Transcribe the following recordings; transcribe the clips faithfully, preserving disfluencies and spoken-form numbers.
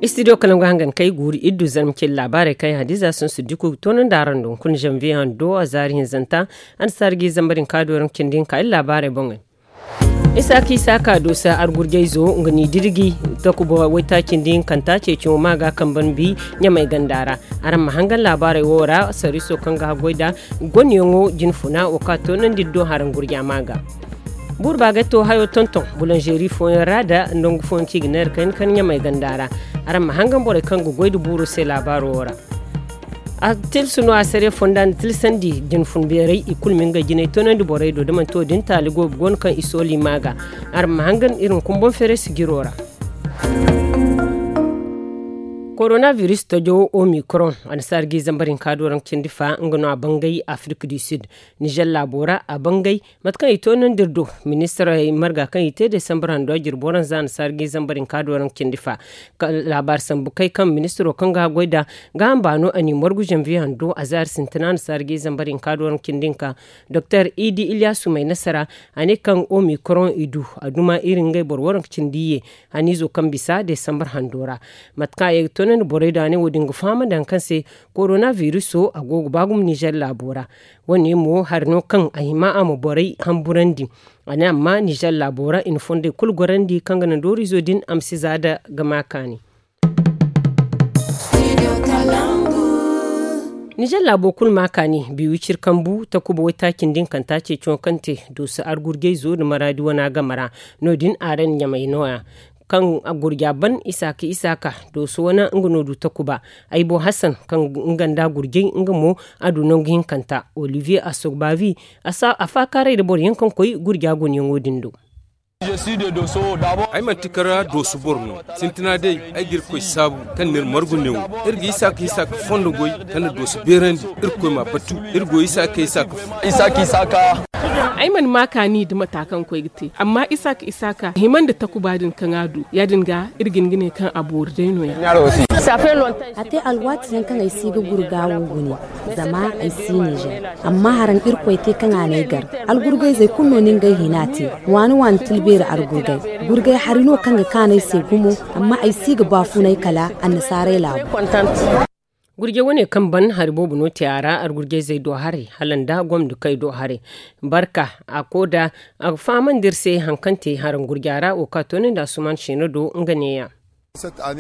Istidiyo kala nga hangan kay guuri iddu zarma cin laabaarey kaŋ yaŋ hadiza sun su diku ga toonandi araŋ do hunkuna zanviye hando a zaari hinzanta. Annasaara ga i zambar hinka do raŋ cindi hinka iri laabaarey boŋey. Isaaka isaaka doosa argurjayzo nga n'i dirji takuba waytaacindi hinkanta ceeciyaŋo ma ga kambe nda bi ɲamay ganda ra. Araŋ ma hangan laabaarey wo ra sariiso kaŋ ga haggoy nd'a gonyaŋo jinfuna wo kaŋ a toonandi iri do haraŋ gurja ma ga. Buuru baagay to hayo tonton bulanzeeri fooyaŋ ra nda nangu fooyaŋ kaŋ i ga neera kayna kar ɲamay ganda ra. Araŋ ma hangan borey kaŋ ga goy nda buuro se laabaaro wo ra. A tilsu no a sare fonda nda tilsandi jinfun beeray i kulu ma ngey jinay toonandi borey do da manti wo- din taali goobu go no kaŋ i sooli ma ga. Araŋ ma hangan iri hunkuna boŋ feere sijiro ra. Korona virus tojo omicron annasaara ga i zambar hinka do raŋ cindi fa nga no a bangay afirka du sud. Nizer laabo ra a bangay mate kaŋ i toonandi iri do. Ministirey marga kaŋ i te desambar hando a jirbo ranza annasaara ga i zambar hinka do raŋ cindi fa. Laabaari sambu kay kaŋ ministiro kaŋ ga haggoy nd'a ga hamba no a n'i margu zanviye hando a zaari sintina annasaara ga i zambar hinka do raŋ cindi hinka. Doktor idi ilyasu may nasara a ne kaŋ omicron i du a duma iri ngey boro waranka cindi ye. Haniizo kaŋ bisa desambar hando ra mate kaŋ a ye ga toonandi borey do a ne wo- din ga fahamandi hari kaŋ se korona viruso a go ga ba gumo nizer laabo ra. Wo- ne mo hari no kaŋ a hima a ma borey hamburandi. A ne amma nizer laabo ra i na fondey kulu gorandi kaŋ ga naŋ dooriizo din a ma si za nda ga ma kaani. Nizer laabo kulu ma kaani biiwicir kambu takuba waytaacindi hinkanta ceeciyaŋo kaŋ te dooso argurjayzo nda maraadi wana game ra. No- din a ra ni ɲamay nooya kaŋ gurja ban isaaka isaaka dooso wana nga no du takuba. Ay bo hasan kaŋ nga nda gurjay nga mo a du nangu hinkanta olivier asogbavi a faakaaray nda boro yaŋ kaŋ koy gurja gunyaŋo din do. Ay manti kara dooso boro no. Sintina day ay ga irkoy saabu kaŋ n'iri margu neewo. Iri ga isaaka isaaka fondo goy kaŋ na dooso beerandi. Irkoy ma batu iri go isaaka isaaka fo. Ay mana ma kaani nda mata kaŋ koy ga te amma isaaka isaaka hima nda takuba din kaŋ a du ya- din ga iri ga hin ga ne kaŋ a boori day no- ya. A te alwaati yaŋ kaŋ ay si ga gurga wo gune zama ay si nizer. Amma haraŋ irkoy te kaŋ a n'ay gar. Algurgayzey kulu no ni ngey hina te. Waani waani tilbeeri argurgay gurgay hari no kaŋ ga kaanay se gumo. Amma ay si ga baafunay kala annasaaray laabu. Gurjay wane kaŋ ban hari boobo no te a ra argurjayzey do haray hala nda gomdikey do haray. Barka a ko da a ga fahamandi iri se hari kaŋ te haraŋ gurja ra wo kaŋ a toonandi asuman seeno do nga neeya.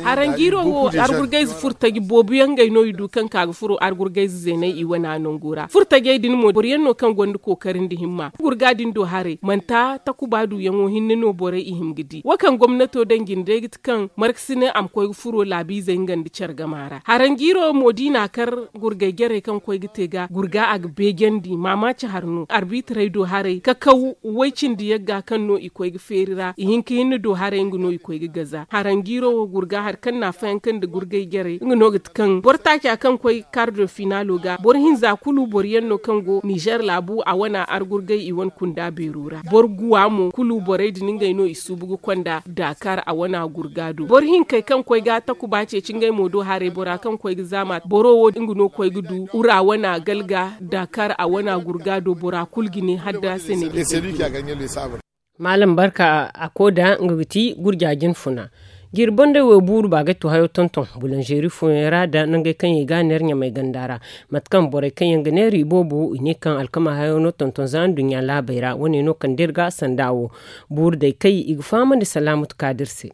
Haranjiiro wo argurgayze furo taji boobo yaŋ ngey no i du kaŋ ka ga furo argurgayze zeeney i wana nangu ra furo tajey din mo boro yaŋ no kaŋ gonda kookari nda himma gurga din do haray manti takuba duyaŋo hinne no borey i hima ga di wo kaŋ gomnato daŋ jine day ga ti kaŋ markasinay a ma koy ga furo laabiizey nga nda care gama ra haranjiiro mo da i n'a kar gurgay jarey kaŋ koy ga te ga gurga a ga beejandi maamaaci har no arbiitarey do haray kakaw way cindi yagga kaŋ no i koy ga feeri ra i hin ka hinne do haray nga no i koy ga gaza haranjiiro wo gurga hari kaŋ n'a fayanka nda gurgay jarey nga no ga ti kaŋ boro taaca kaŋ koy kardo finaalo ga boro hinza kulu boro yaŋ no kaŋ go nizer laabu a wana argurgay i wane kunda beero ra boro guwa mo kulu borey din ngey no i suubu ga konda daakar a wana gurga do boro hinkey kaŋ koy ga takuba ceeci ngey mo do haray bora kaŋ koy ga zaama boro wo nga no koy ga du ura wana galga daakar a wana gurga do bora kulu ga ne hadda sene. Maalam barka a ko da nga ga ti gurja jinfuna. Jiiri bondey wo buuru ba ga to hayo tonton bulanzeeri fooyaŋ ra da nangey kaŋ yaŋ i ga a neera ɲamay ganda ra. Mate kaŋ borey kaŋ yaŋ ga neera i boobo i ne kaŋ alkama hayo no tonton za nduɲɲa laabey ra wane no kande iri ga sanda wo. Buuru day kay i ga fahamandi salaamatu kaadir se.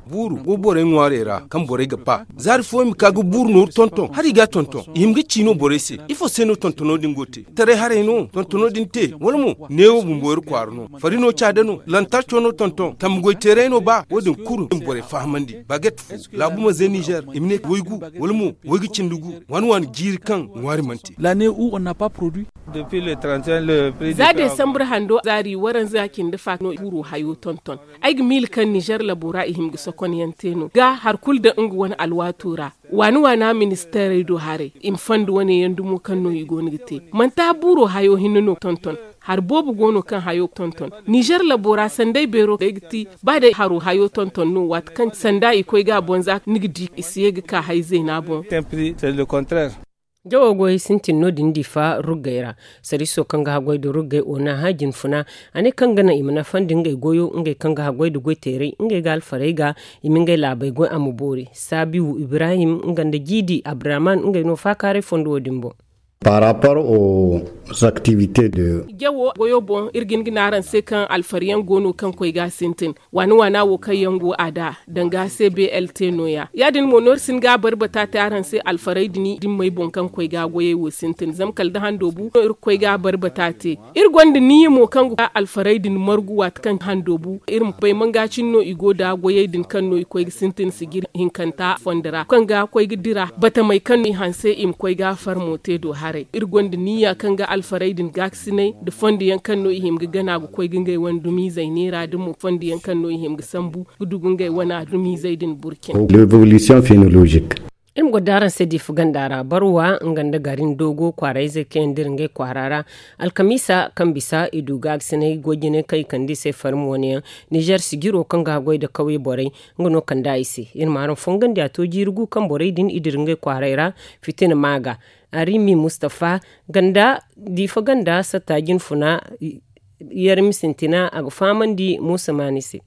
Buuru go borey ŋwaarey ra kaŋ borey ga ba zaari fooyaŋ ma ka ga buuru nooru tonton hari i ga a tonton i hima ga ci no borey se ifo se no tontono din go te taray haray no tontono din te wala mo neewo bumbo iri kwaara no fari no caada no lantarco no tonton tamma goy teeray no ba wo- din kulu i ma borey fahamandi baagette fo laabu ma ze nizer i ma ne waygu wala mo waygu cindi gu waani waani jiiri kaŋ ŋwaari mana te. Za desambre hando zaari waranza cindi fa no buuro hayo tonton. Ay ga miila kaŋ nizer labo ra i hima ga sokon yaŋ te no ga hari kulu daŋ nga wane alwaato ra waani waana ministeerey do haray i ma fanda wane yaŋ dumo kaŋ no i go no ga te manti a buuro hayo hinne no tonton. Hari boobo go no kaŋ hayo tonton nizer labo ra sanday beero day ga ti ba day haro hayo tonton no waati kaŋ sanda i koy ga a boŋ za ni ga di i si ye ga ka hay zeena boŋ. Jawo goyey sintin no- din difa ruggey ra. Sariiso kaŋ ga haggoy nda ruggey o na hã jinfuna, a ne kaŋ ga naŋ i ma nafandi ngey goyo ngey kaŋ ga haggoy nda goyteeray ngey ga alfarey ga, i ma ngey laabey goy a ma boori. Saabiwu ibrahim nga nda jiidi abdurahman ngey no faakaaray fondo wo- din boŋ. Par rapport aux activités de jawo goyo boŋ iri ga hin ga ne araŋ se kaŋ alfariyaŋ go no kaŋ koy ga a sintin. Waana waana wo kaŋ yaŋ go a da danga se b l t no- ya ya- din mo no iri si hin ga a bari bata te araŋ se alfaray din dimmey boŋ kaŋ koy ga goyey wo sintin zama kala da hando bu no iri ga koy ga a bari bata te. Iri gonda niya mo kaŋ ga koy alfaray din margu waati kaŋ hando bu iri ma bay manga cine no i go nda goyey din kaŋ no i koy ga sintin sijiri hinkanta fondo ra kaŋ ga koy ga dira batamey kaŋ no i hanse i ma koy ga farmo te do haray iri gonda niya kaŋ ga alfaray din gaakasinay nda fondo yaŋ kaŋ no i hima ga gana ga koy ga ngey wane dumiizey neera nda mo fondo yaŋ kaŋ no i hima ga sambu ga dugu ngey wane dumiizey din burcin. L'évolution phénologique. Iri ma goro da araŋ se diifa ganda ra barwa nga nda garin doogo kwaarayzey kaŋ yaŋ dira ngey kwaara ra. Alkamiisa kaŋ bisa i du gaagasinay goy jine kaŋ i kande i se farmi wane yaŋ. Nizer sijiro kaŋ ga haggoy nda kawye borey nga no kande a i se. Iri ma araŋ fongandi a to jiiri gu kaŋ borey din i dira ngey kwaaray ra. Fitina maaga arimi mustafa ganda diifa ganda satta jinfuna. Yarmi sintina a ga fahamandi muusa maani se.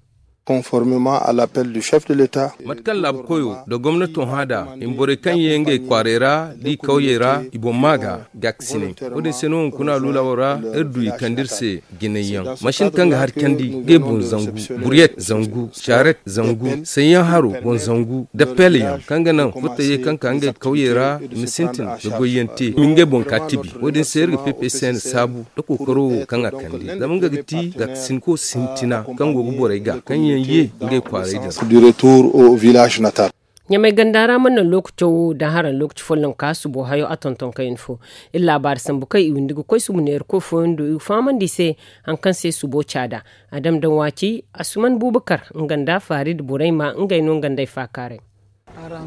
Conformement à l'appel du chef de l'état. Mate kaŋ laabu koyo nda gomnato hã nd'a i ma borey kaŋ ye ngey kwaarey ra da i kawyey ra i boŋ maa ga gaakasinay. Wo- din se no hunkuna luulawo ra iri du i kande iri se jinay yaŋ masin kaŋ ga hari candi ngey boŋ zangu, buriyet zangu, caret zangu, sayyaŋ haro boŋ zangu nda peel yaŋ kaŋ ga naŋ furtayey kaŋ ka ngey kawyey ra i ma sintin ga goyyaŋ te i ma ngey boŋ ka tibi. Wo- din se iri ga p p c n saabu nda kookaro wo kaŋ a kande zama nga ga ti gaakasinko sintina kaŋ go ga borey ga kaŋ yaŋ ye ngey kwaarey din. Ɲamay ganda ra mana naŋ lookaco wo daŋ haraŋ lookaci folloŋ ka subo hayo a tonton kayna fo. Iri laabaari sambu kaŋ i windi ga koy subu neerako fooyaŋ do i ga fahamandi i se haŋ kaŋ se subo caada. A dam daŋ waaci asuman bubakar nga nda faari nda borey ma ngey no nga nd'ey faakaaray.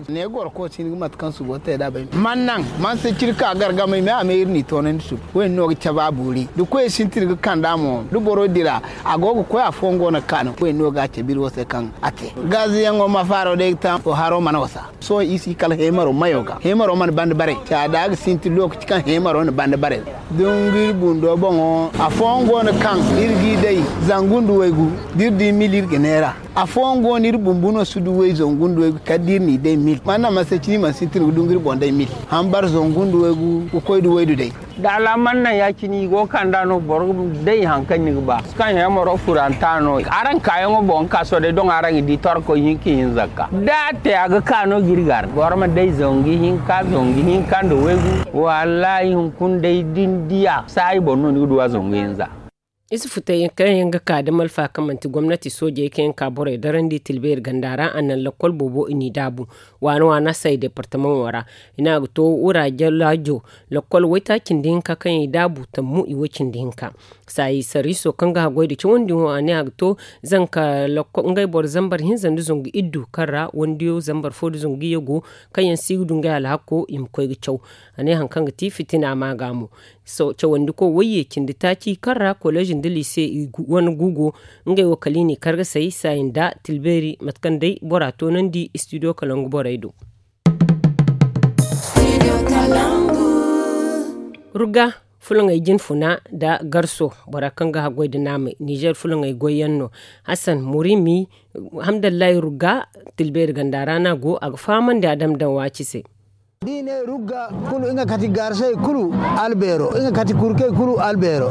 Ne goro kooti ni ga mate kaŋ subo te da bay man naŋ man se ciri ka gargamay me a me iri n'i toonandi subu. Wo- din no ga cabe a boori da koyey sintin ga kand'a mo da boro dira a go ga koy afooyaŋ go no ga ka no wo- din no ga a cabe iri wo se kaŋ a te. Gaaziyaŋo ma faaro day ga ta wo haro mana wasa. Sohõ i si kala heemaro mayo ga heemaro mana banda barey caada ga sintin lookaci kaŋ heemaro na banda barey. Dunguri bundo boŋo afooyaŋ go no kaŋ iri g'i day zangu nda waygu da iri di mil iri ga neera. Afooyaŋ go no iri bumbu no si du way zangu nda waygu kala da iri n'i day mil mana mana se cine i mana sintin ga dunguri boŋ day mil. Hambar zangu nda waygu ga koy da waydu day. Da alaaman naŋ ya- cine i go ga kand'a no boro ga day haŋ kaŋ ni ga ba kaŋ heemaro furanta no araŋ kaayaŋo boŋ ga ka sohõ day doŋ araŋ ga di torkoy hinka ihinza ga ka da a te a ga ka no ga iri gar boro ma day zangu hinka zangu hinka nda waygu. Wallaahi hunkuna day da ni diya saayi boŋ no ni ga du a zangu hinza. Isufu te kaŋ yaŋ ga ka da malfa kaŋ manti gomnati soojey kaŋ yaŋ ka borey darandi tilbeeri ganda ra a naŋ lakkol boobo i n'i daabu. Waana waana say departamaŋo ra i ne a ga to wura jalaajo lakkol waytaaci nda hinka kaŋ yaŋ i daabu tammu i way cindi hinka. Saayi sariiso kaŋ ga haggoy nda cawandi wo a ne a ga to zanka ngey boro zambar hinza nda zangu iddu kaŋ ra wandiyo zambar fo nda zangu iyye go kaŋ yaŋ si ga du ngey alhakko i ma koy ga caw. A ne haŋ kaŋ ga ti fitina maaga mo. Cawandiko wayye cindi taaci kaŋ ra koleez nda liise i wane guugo ngey wo kala i n'i kargasay saayi nda tilbeeri mate kaŋ day bora toonandi istidiyo kalangu borey do. Rugga fulaŋey jinfuna nda garso bora kaŋ ga haggoy nda naamey nizer fulaŋey goyyaŋ no. Hasan murimi hamdallahi rugga tilbeeri ganda ra no a go a ga fahamandi a dama daŋ waaci se. Da i ne rugga kulu nga kati garsey kulu albeero nga kati kurkey kulu albeero.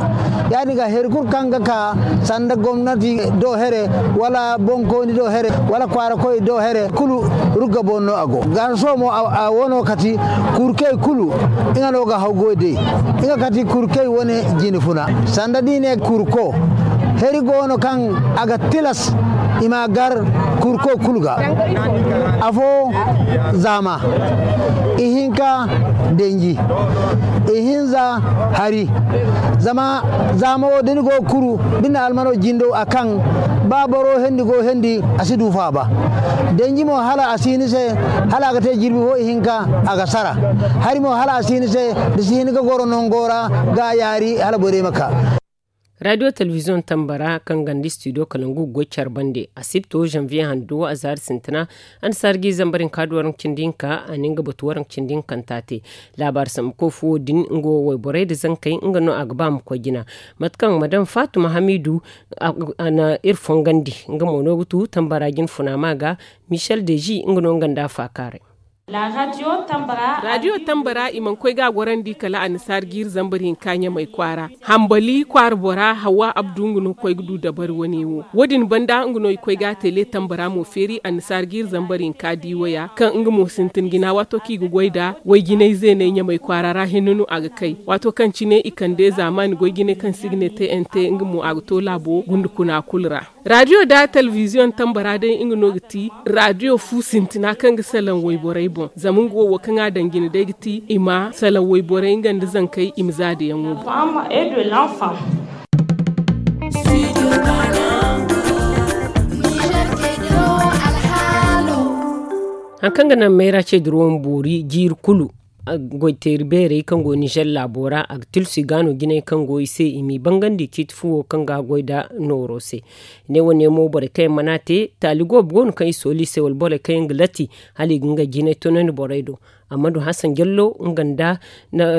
Ya- din ga hari kulu kaŋ ga ka sanda gomnati do here wala bonkooni do here wala kwaarakoy do here kulu rugga boŋ no a go garso mo a wano kati kurkey kulu nga no ga haw goy day. Nga kati kurkey wane jine funa sanda da i ne kurko hari go no kaŋ a ga tilas i ma gar kurko kulu ga. Afo zaama ihinka denji ihinza hari. Zama zaama wo da ni go ga kuru da ni na almano jindo a kaŋ ba boro hendi go hendi a si du faaba. Denji mo hala a si ni se hala a ga te jirbi fo ihinka a ga sara. Hari mo hala a si ni se da si hin ga goro nango ra ga yaari hala borey ma ka. Raadiyo telebiziyoŋ tambara kaŋ ganda istidiyo kalangu ga goy care bande, asibto zanviye hando a zaari sintina. Annasaara ga i zambar hinka da waranka cindi hinka a na nga batu waranka cindi hinkanta te. Laabaari sambuko fo wo- din nga wo wayborey nda zankey nga no a ga ba ma koy jina. Mate kaŋ madam faatuma hamiidu a na iri fongandi, nga mo no ga tu tambara jina funa ma ga. Michel deji nga no nga nda a faakaaray. Raadiyo tambara i mana koy ga a gorandi kala annasaara ga iri zambar hinka ɲamay kwaara. Hambali kwaara bora hawa abdu nga no ga koy ga du dabari wane wo. Wo- din banda nga no i koy ga a tele tambara mo feeri annasaara ga iri zambar hinka di waya kaŋ nga mo sintin jina waato kaŋ i ga goy nda wayjinay zeenay ɲamay kwaara ra hinne no a ga kay. Waato kaŋ cine i kande zaamaani goy jinay kaŋ se i ga ne tnt nga mo a ga to laabo gunda kuna kulu ra. Raadiyo nda telebiziyoŋ tambara day nga no ga ti raadiyo fu sintina kaŋ ga salaŋ wayborey boŋ zama nga wo wo kaŋ a daŋ jine day ga ti i ma salaŋ wayborey nga nda zankey i ma za da yaŋo boŋ. Hari kaŋ ga naŋ mayra ce dirawo ma boori jiiri kulu. Goyteeri beerey kaŋ go ninzeer laabo ra a ga tilsu i ga no jinay kaŋ go i se i m'i bangandi ciiti fuwo kaŋ ga goy nda nooro se. Ne wane mo borey kaŋ yaŋ mana te taali goobo go no kaŋ i sooli i se wala borey kaŋ yaŋ ga latti hala i ga ngey jinay toonandi borey do. Ammadu hasan jallo nga nda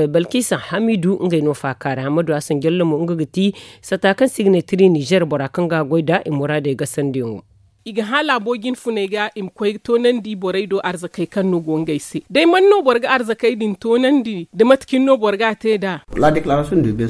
balkisa hamiidu ngey no faakaaray ammadu hasan jallo mo nga ga ti sata kaŋ se i ga ne tiri ninzeer bora kaŋ ga goy nda i muraadey gasandiyaŋo. I ga hã laabo jinfuney ga i ma koy toonandi borey do arzakey kaŋ no go ngey se day man no boro ga arzakey din toonandi nda mate cine no boro ga a te nd'a.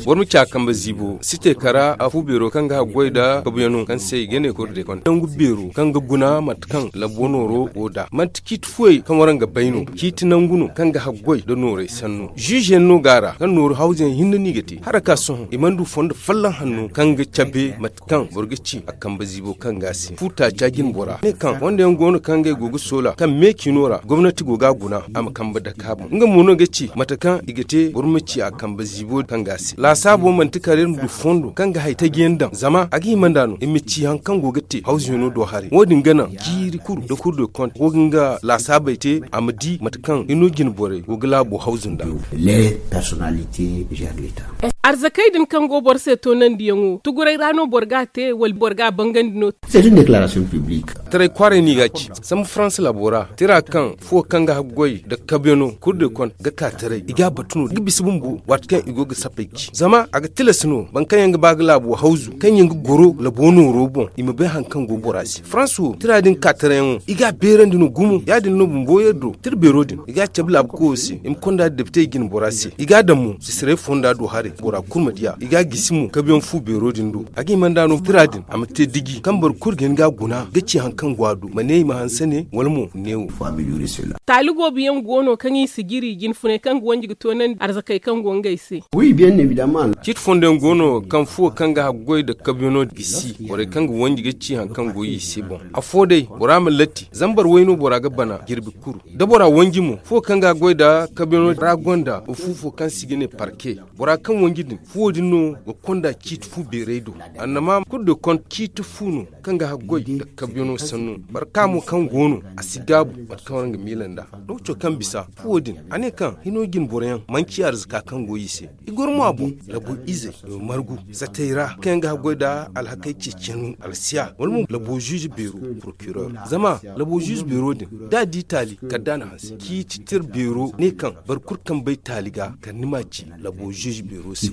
Boro ma ci a kambe ziibo si te kara a fu beero kaŋ ga haggoy nda kabuyaŋo kaŋ se i ga ne kordekon nangu beero kaŋ ga guna mate kaŋ labo nooro go nd'a manti ciiti fuwey kaŋ waraŋ ga bay no ciiti nangu no kaŋ ga haggoy nda noorey sanno ziize yaŋ no go a ra kaŋ nooru hawza yaŋ hinne no i ga te hala ka sohõ i mana du fondo folloŋ hanno kaŋ ga cabe mate kaŋ boro ga ci a kambe ziibo kaŋ ga a se fu taaca jine bora ne kaŋ wande yaŋ go no kaŋ ngey go ga soola kaŋ me ciino ra gomnati go ga a guna a ma kambe dake a boŋ nga mo no ga ci mate kaŋ i ga te boro ma ci a kambe ziibo kaŋ ga a se laasaabo manti kala iri ma du fondo kaŋ ga hari taji yaŋ daŋ zama a ga hima nd'a no i ma ci hari kaŋ go ga te hawzuyaŋo do haray wo- din ga naŋ jiiri kulu nda kulu de konte go ga nga laasaabey te a ma di mate kaŋ hino jine borey go ga laabo hawzu nd'a. Arzakey din kaŋ go boro se toonandiyaŋo tuguray ra no boro ga a te wala boro ga a bangandi no? Taray kwaaray no i ga a ci samba faransa laabo ra tira kaŋ fuwo kaŋ ga haggoy nda kabyano kulu de konte ga ka taray i ga a batu no da ga bisa bumbo waati kaŋ i go ga sappey ci zama a ga tilas no boro kaŋ yaŋ ga ba ga laabo hawzu kaŋ yaŋ ga goro labo nooro boŋ i ma bay hari kaŋ go bora se faransa wo tira din ka tarayyaŋo i ga a beerandi no gumo ya- din no bumbo yaddo tira beero din i ga a cabe laabu koyo se i ma konda depitey jine bora se i ga a daŋ mo sisiray fonda do haray bora kulu ma di a i ga a gisi mo kabiyaŋ fu beero din do a ga hima nd'a no tira din a ma te diji kaŋ boro kulu ga hin ga a guna ga ci hari kaŋ go a do ma ne i ma hanse ne wala mo neewo. Taali goobu yaŋ go no kaŋ i si jiri jinfunay kaŋ ga wanji ga toonandi arzakey kaŋ go ngey se. Ciiti fondo yaŋ go no kaŋ fuwo kaŋ ga haggoy nda kabiyaŋo gisi borey kaŋ ga wanji ga ci hari kaŋ go i se boŋ afo day bora ma latti zambar way no bora ga bana jirbi kuru da bora wanji mo fuwo kaŋ ga goy nda kabiyaŋo ra gonda wa fu fo kaŋ se i ga ne parke bora kaŋ wanji din fuwo din no ga konda ciiti fu beeray do annama kulu de konda ciiti fu no kaŋ ga haggoy nda kabiyaŋo sanno barka mo kaŋ go no a si gaabu mate kaŋ waraŋ ga miila nd'a lokaco kaŋ bisa fuwo din a ne kaŋ hino jine boroyaŋ manci arzaka kaŋ go i se i goro mo a boŋ labo izey i ma margu satey ra kaŋ yaŋ ga haggoy nda alhakey ceeciyaŋ alsiya wala mo labo ziize beero prokiror zama labo ziize beero din da a di taali kala da a na hanse ciiti tira beero ne kaŋ boro kulu kaŋ bay taali ga kala ni ma a ci labo ziize beero se.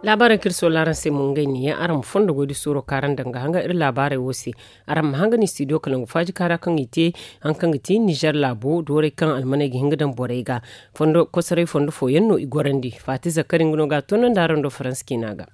Laabaaraŋ kaŋ iri soola araŋ se mo ngey ne yaŋ araŋ ma fondo goy da suuro kaŋ araŋ daŋ ga hanga iri laabaarey wo se. Araŋ ma hanga ni studio kalangu faaji kaara kaŋ i te hari kaŋ ga ti nizer laabo dooray kaŋ almaney ga hin ga daŋ borey ga. Kosoray fondo fooyaŋ no i gorandi faati zakkari nga no ga a toonandi araŋ do faransa ciina ga.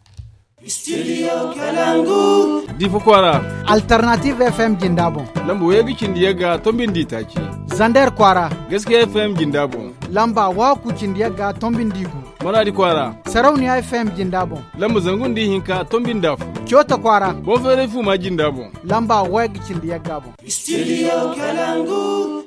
Difa kwaara. Alternative f m jinda boŋ. Lamba wayga cindi yagga tombindi taaci. Zander kwaara. Gaskiya f m jinda boŋ. Lamba waaku cindi yagga tombindi gu. Maradi kwaara. Sarauniya f m jinda boŋ. Lamba zangu nda ihinka tombindi afo. Coota kwaara. Boŋ feeray fuuma jinda boŋ. Lamba wayga cindi yagga boŋ. Studio kalangu.